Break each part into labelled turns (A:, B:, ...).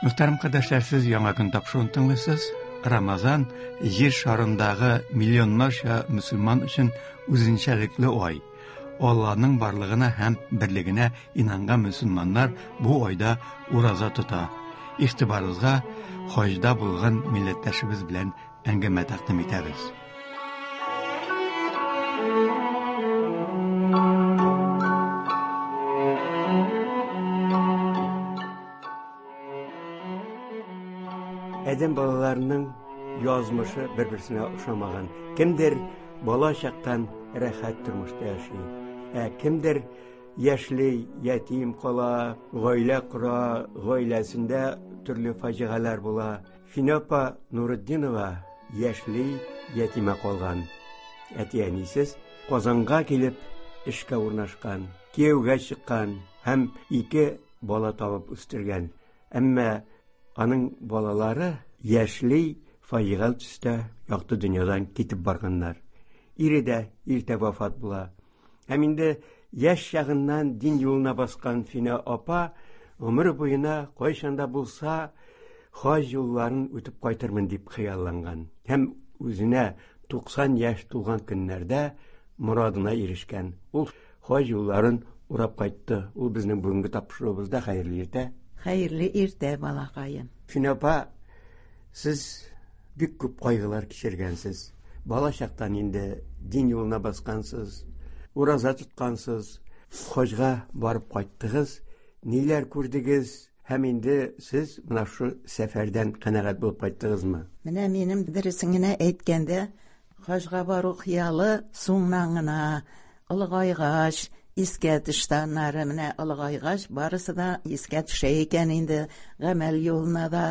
A: Мөхтәрәм кардәшләр, сез Яңа көн тапшыруын тыңлыйсыз. Рамазан җир шарындагы миллионнарча мөселман өчен үзенчәлекле ай. Алланың барлыгына һәм берлегенә инанган мөселманнар бу айда ураза тота. Игътибарыгызга хаҗда булган милләттәшебез белән әңгәмә тәкъдим итәбез.
B: Адәм балаларының язмышы бер-берсенә ошамаган. Кемдер бала чактан рәхәт тормышта яши, ә кемдер яшьли ятим кала, гаилә кора, гаиләсендә төрле фаҗигаләр була. Финә апа Нуретдинова яшьли ятимә калган. Әти-әнисез Казанга килеп эшкә урнашкан, кияүгә чыккан һәм ике бала табып үстергән. Әмма аның балалары яшьли фаҗигале төстә якты дөньядан китеп барганнар. Ире дә иртә вафат була. Һәм инде яшь чагыннан дин юлына баскан Финә апа гомере буена кайчан да булса хаҗ юлларын үтеп кайтырмын дип хыялланган. Һәм үзенә 90 яшь тулган көннәрдә морадына ирешкән. Ул хаҗ юлларын урап кайтты. Ул безнең бүгенге тапшыруыбызда. Хәерле иртә.
C: Хәерле иртә, балакаем.
B: Финә апа, сез бик күп кайгылар кичергәнсез. Бала чактан инде дин юлына баскансыз, ураза тоткансыз, хаҗга барып кайттыгыз. Ниләр күрдегез? Һәм инде сез менә шул сәфәрдән канәгать булып кайттыгызмы?
C: Менә минем дөресен генә әйткәндә, хаҗга бару хыялы соңнан гына, олыгайгач, искә төште аннары. Менә олыгайгач, барысы да искә төшә икән инде. Гамәл юлына да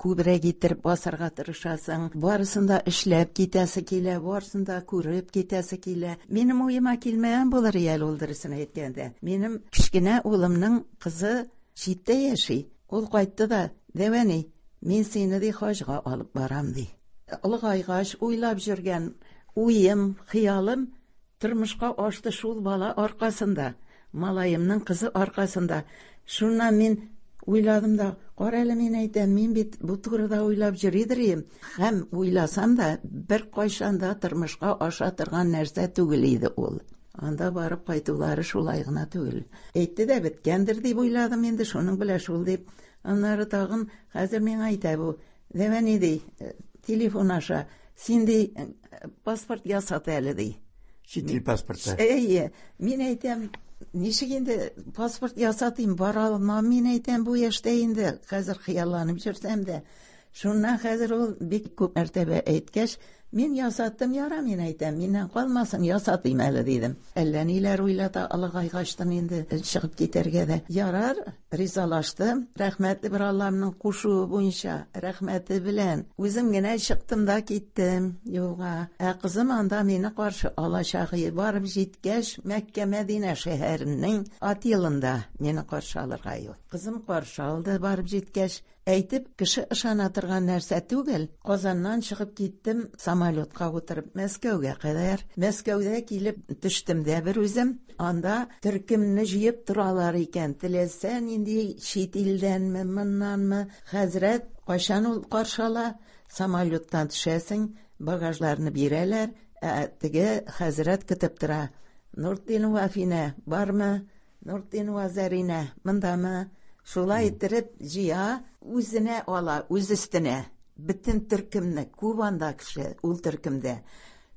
C: күбрәк иттереп басарга тырышасың. Барысын да эшләп китәсе килә, барысын да күреп китәсе килә. Минем уема килмәгән булыр әле ул, дөресен әйткәндә. Минем кечкенә улымның кызы читтә яши. Ул кайтты да, Дәвәни, мин сине ди хаҗга алып барам ди. Олыгайгач уйлап йөргән уем, хыялым тормышка ашты шул бала аркасында, малаемның кызы аркасында. Шуннан мин уйладым да, кара әле, мин әйтәм, мин бит бу турыда уйлап йөридер идем. Һәм уйласам да, бер кайчан да тормышка аша торган нәрсә түгел иде ул. Анда барып кайтулары шулай гына түгел. Әйтте дә беткәндер дип уйладым инде, шуның белән шул дип. Аннары тагын хәзер миңа әйтә бу, Дәвәни ди, телефон аша, син ди, паспорт ясат әле ди.
B: Чит ил паспорты.
C: Әйе, мин әйтәм, ничек инде паспорт ясатыйм, бара алмам, мин әйтәм, бу яшьтә инде, хәзер хыялланып йөрсәм дә. Шуннан хәзер ул бик күп мәртәбә әйткәч, мин ясаттым, яра, мин әйтәм, миннән калмасын, ясатыйм әле, дидем. Әллә ниләр уйлата олыгайгачтын инде чыгып китәргә дә. Ярар, ризалаштым. Рәхмәтле бер Алламның кушуы буенча, рәхмәте белән. Үзем генә чыктым да киттем юлга. Ә кызым анда мине каршы алачак. Барып җиткәч, Мәккә Мәдинә шәһәренең отелында мине каршы алырга юл. Кызым каршы алды барып җиткәч. Әйтеп, кеше ышана торган нәрсә түгел. Казаннан чыгып киттем, самолетка утырып Мәскәүгә кадәр. Мәскәүдә килеп төштем дә бер үзем. Анда төркемне җыеп торалар икән. Теләсә нинди чит илдәнме, моннанмы, хәзрәт кайчан ул каршы ала, самолеттан төшәсең, багажларны бирәләр, ә теге хәзрәт көтеп тора. Нуртдинова Афинә бармы? Нуртдинова Зәринә мондамы? Шулай иттереп җыя, үзенә ала, үз өстенә. Бөтен төркемне, күп анда кеше ул төркемдә.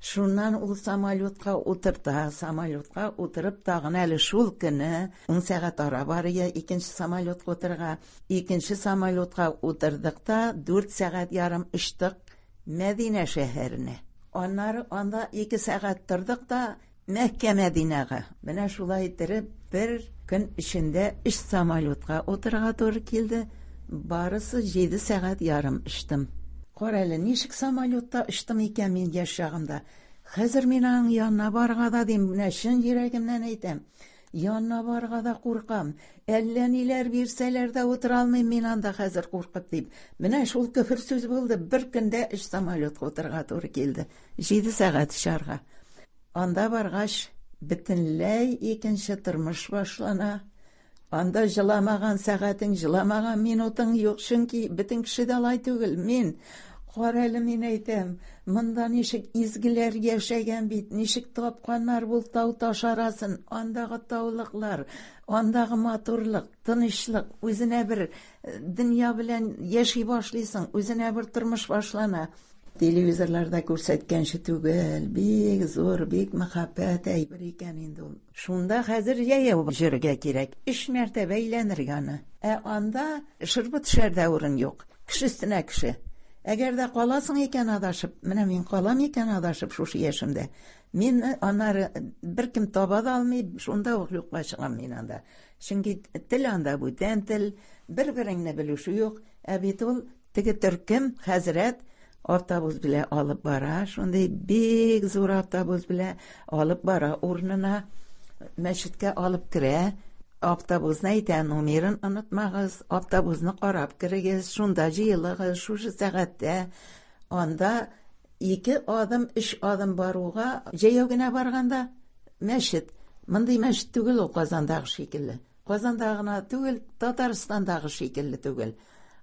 C: Шуннан ул самолетка утырта, самолетка утырып тагын әле шул көне 10 сәгать ара бар ия икенче самолетка утырырга. Икенче самолетка утырдык та 4 сәгать ярым очтык Мәдинә шәһәренә. Аннары анда 2 сәгать тордык та Мәккә Мәдинәгә. Менә шулай иттереп бер көн эчендә 3 самолетка утырырга туры килде. Барысы 7 сәгать ярым очтым. Кара әле, ничек самолетта очтым икән мин яшь чагымда. Хәзер мин аның янына барырга да дим, менә чын йөрәгемнән әйтәм. Янына барырга да куркам. Әллә ниләр бирсәләр дә утыра алмыйм мин анда хәзер куркып дип. Менә шул көфер сүз булды. Бер көндә 3 самолетка утырырга туры килде. 7 сәгать очарга. Анда баргач, бөтенләй икенче тормыш башлана. Анда җыламаган сәгатең, җыламаган минутың юк, чөнки бөтен кеше дә алай түгел. Мин, кара әле, мин әйтәм, монда ничек изгеләр яшәгән бит, ничек тапканнар бу тау таш арасын, андагы таулыклар, андагы матурлык, тынычлык, үзенә бер дөнья белән яши башлыйсың, үзенә бер тормыш башлана. Телевизорларда күрсәткәнче түгел, бик зур, бик мәхәббәт әйбер икән инде ул. Шунда хәзер җәяү йөрергә кирәк, 3 мәртәбә әйләнергә аны. Ә анда шырпы төшәр дә урын юк, кеше өстенә кеше. Әгәр дә каласың икән адашып, менә мин калам икән адашып шушы яшемдә, мин аннары беркем таба да алмый, шунда ук юкка чыгам мин анда. Чөнки тел анда бүтән тел, бер-береңне белүше юк. Ә бит ул теге төркем хәзрәт автобус белән алып бара, шундый бик зур автобус белән алып бара урынына, мәчеткә алып керә. Автобусны әйтә, номерын онытмагыз, автобусны карап керегез, шунда җыелыгыз, шушы сәгатьтә. Анда 2 адым, 3 адым баруга, җәяү генә барганда мәчет. Мондый мәчет түгел ул Казандагы шикелле. Казанда гына түгел, Татарстандагы шикелле түгел.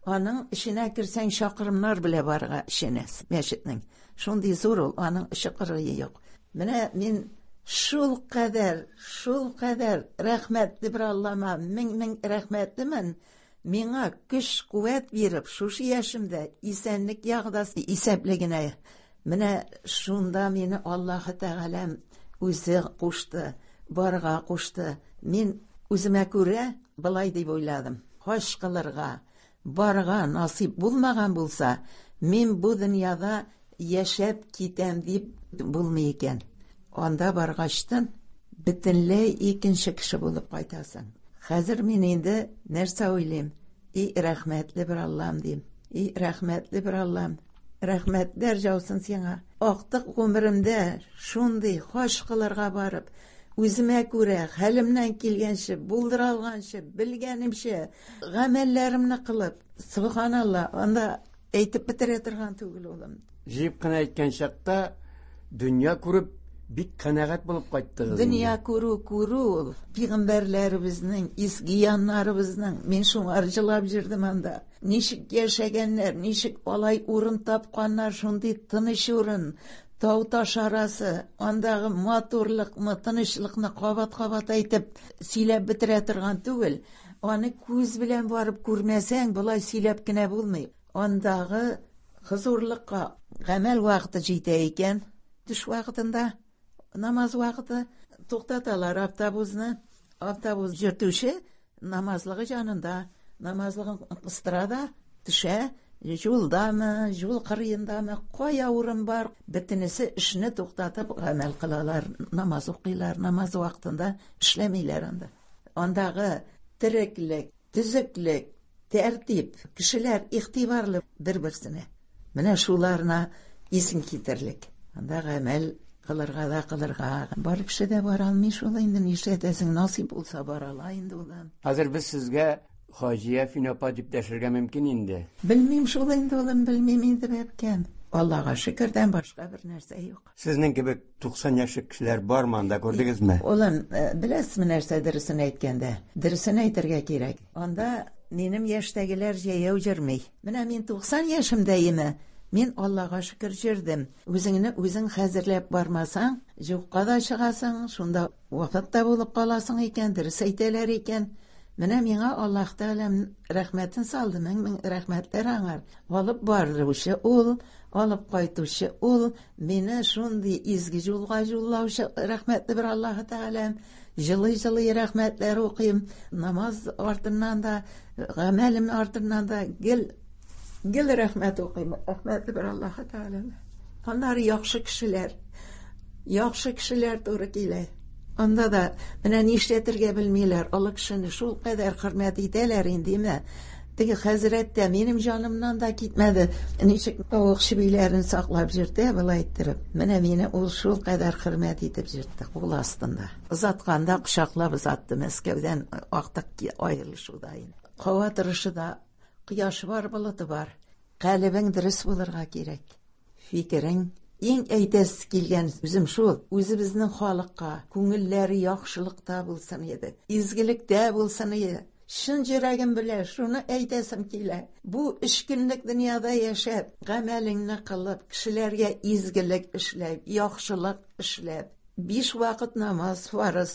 C: Аның эченә керсәң, чакрымнар белә барырга эченә мәчетнең. Шундый зур ул, аның эче кырые юк. Менә мин шул кадәр, шул кадәр рәхмәтле бер Аллама, мең-мең рәхмәтлемен. Миңа көч, куәт биреп, шушы яшемдә исәнлек ягъдасы исәпле генә. Менә шунда мине Аллаһы Тәгаләм үзе кушты, барырга кушты. Мин үземә күрә былай дип уйладым. Хаҗ кылырга барырга насыйп булмаган булса, мин бу дөньяда яшәп китәм дип булмый икән. Анда баргачтан бөтенләй икенче кеше булып кайтасың. Хәзер мин инде нәрсә уйлыйм? И рәхмәтле бер Аллам дим. И рәхмәтле бер Аллам. Рәхмәтләр яусын сиңа. Актык гомеремдә шундый хаҗ кылырга барып, үземә күрә, хәлемнән килгәнче, булдыра алганчы, белгәнемчә гамәлләремне кылып, субханалла, анда әйтеп бетерә торган түгел улым.
B: Җыеп кына әйткән чакта дөнья күреп бик канәгать булып кайттыгыз.
C: Дөнья күрү күрү ул. Пәйгамбәрләребезнең, изге яннарыбызның, мин шуңар җылап йөрдем анда. Ничек яшәгәннәр, ничек алай урын тапканнар, шундый тыныч урын, тау таш арасы, андагы матурлыкны, тынычлыкны кабат-кабат әйтеп сөйләп бетерә торган түгел. Аны күз белән барып күрмәсәң, болай сөйләп кенә булмый. Андагы хозурлыкка гамәл вакыты җитә икән, төш вакытында, намаз вакыты туктаталар автобусны. Автобус йөртүче намазлыгы җанында, намазлыгын кыстыра да төшә, юлдамы, юл кырыендамы, кая урын бар, бөтенесе эшне туктатып гамәл кылалар, намаз укыйлар, намаз вакытында эшләмиләр анда. Андагы тереклек, төзеклек, тәртип, кешеләр игътибарлы бер-берсенә. Менә шуларына исең китерлек. Анда гамәл кылырга да кылырга. Бар кеше дә бара алмый шул инде, нишләтәсең, насыйп булса бара ала инде ул.
B: Хәзер без сезгә Хаҗия Фин апа дип дәшергә мөмкин инде.
C: Белмим шул инде, улым, белмим инде, бәбкәм. Аллаһка шөкердән башка бер нәрсә юк.
B: Сезнең кебек 90 яшьлек кешеләр бармы анда, күрдегезме?
C: Улым, беләсезме нәрсә дөресен әйткәндә? Дөресен әйтергә кирәк. Анда минем яшьтәгеләр җәяү йөрми. Менә мин 90 яшемдә име? Мин Аллаһка шөкер йөрдем. Үзеңне үзең хәзерләп бармасаң, юкка да чыгасың, шунда вафат та булып каласың икән, дөрес әйтәләр икән. Менә миңа Аллаһ Тәгаләм рәхмәтен салды, мең-мең рәхмәтләр аңар. Алып баручы ул, алып кайтучы ул, мине шундый изге юлга юллаучы рәхмәтле бер Аллаһ Тәгаләм. Җылый-җылый рәхмәтләр укыйм. Намаз артыннан да, гамәлем артыннан да гел гел рәхмәт укыйм. Рәхмәтле бер Аллаһ Тәгаләм. Аннары яхшы кешеләр, яхшы кешеләр туры килә. Анда да менә нишләтергә белмиләр. Олы кешене шул кадәр хөрмәт итәләр инде, ме? Теге хәзрәт тә минем җанымнан да китмәде. Ничек тавык чебиләрен саклап йөртә, болай иттереп. Менә мине ул шул кадәр хөрмәт итеп йөртте кул астында. Озатканда кочаклап озатты Мәскәүдән актык аерылышуда инде. Һава торышы да кояш бар, болыты бар. Калебең дөрес булырга кирәк. Фикерең иң әйтәсе килгән үзем шул, үзебезнең халыкка күңелләре яхшылыкта булсын иде, изгелектә булсын иде. Чын йөрәгем белән шуны әйтәсем килә. Бу өч көнлек дөньяда яшәп, гамәлеңне кылып, кешеләргә изгелек эшләп, яхшылык эшләп, 5 вакыт намаз фарыз,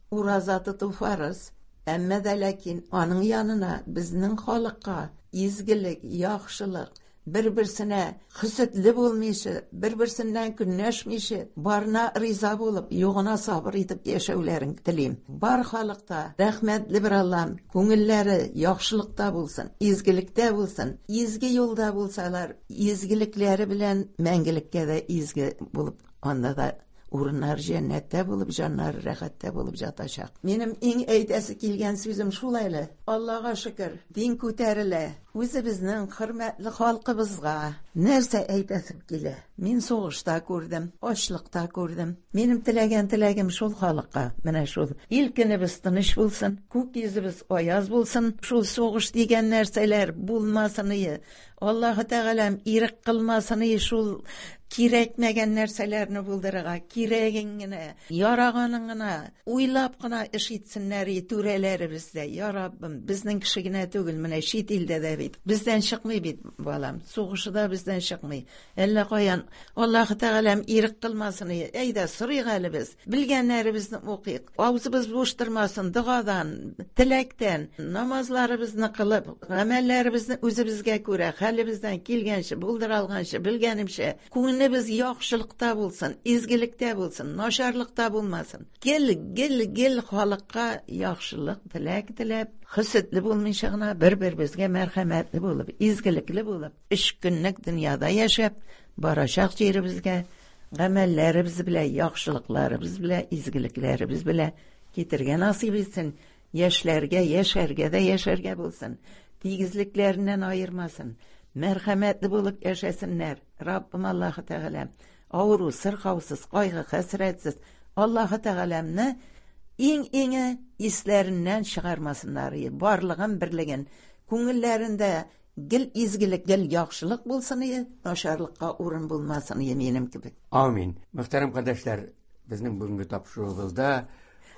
C: ураза тоту фарыз. Әмма дә ләкин аның янына безнең халыкка изгелек, яхшылык, бер-берсенә хөсетле булмыйча, бер-берсеннән көнләшмичә, барына риза булып, югына сабыр итеп яшәүләрен телим. Бар халыкта рәхмәтле бер Аллам, күңелләре яхшылыкта булсын, изгелектә булсын, изге юлда булсалар, изгелекләре белән мәңгелеккә дә изге булып, анда да урыннар җәннәттә булып, җаннар рәхәттә булып ятачак. Минем иң әйтәсе килгән сүзем шул әле. Аллага шөкер, дин күтәрелә. Үзебезнең хөрмәтле халкыбызга нәрсә әйтәсем килә? Мин сугышта күрдем, ачлыкта күрдем. Минем теләгән теләгем шул халыкка, менә шул. Ил көнебез тыныч булсын, күк йөзебез аяз булсын, шул сугыш дигән нәрсәләр булмасын ие. Аллаһы Тәгаләм ирек кылмасын ие шул кирәкмәгән нәрсәләрне булдырырга, кирәген генә, яраганын гына, уйлап кына эш итсеннәр ие түрәләребез дә. Я Раббым, безнең кеше генә түгел, менә чит илдә дә бит. Бездән чыкмый бит, балам. Сугышы да бездән чыкмый. Әллә каян Аллаһы Тәгаләм ирек кылмасын ие. Әйдә, сорыйк әле без. Белгәннәребезне укыйк. Авызыбыз буш тормасын, догадан, теләктән, намазларыбызны кылып, гамәлләребезне үзебезгә күрә, хәлебездән килгәнчә, булдыра алганча, белгәнемчә, күңелебез яхшылыкта булсын, изгелектә булсын, начарлыкта булмасын. Гел, гел, гел халыкка яхшылык теләк теләп, хөсетле булмыйча гына бер-беребезгә мәрхәмәтле булып, изгелекле булып, өч көнлек дөньяда яшәп, барачак җиребезгә гамәлләребез белән, яхшылыкларыбыз белән, изгелекләребез белән китергә насыйп итсен. Яшьләргә яшәргә дә яшәргә булсын. Тигезлекләреннән аермасын. Мәрхәмәтле булып яшәсеннәр. Раббым Аллаһы Тәгалә авыру, сырхаусыз, кайгы, хәсрәтсез Аллаһы Тәгаләмне иң-иңе исләреннән чыгармасыннар. Барлыгын, берлеген, күңелләрендә гел изгелек, гел яхшылык булсын ие, начарлыкка урын булмасын ие минем кебек.
B: Амин. Мөхтәрәм кардәшләр, безнең бүгенге тапшыруыбызда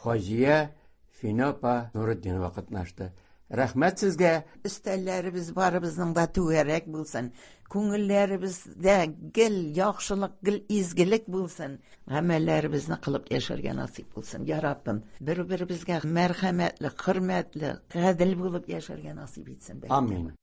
B: Хаҗия Фина апа Нуретдинова катнашты. Рәхмәт сезгә.
C: Өстәлләребез барыбызның да түгәрәк булсын. Күңелләребездә гел яхшылык, гел изгелек булсын. Гамәлләребезне кылып яшәргә насыйп булсын. Я Раббым, бер-беребезгә мәрхәмәтле, хөрмәтле, гадел булып яшәргә насыйп итсен.
B: Амин.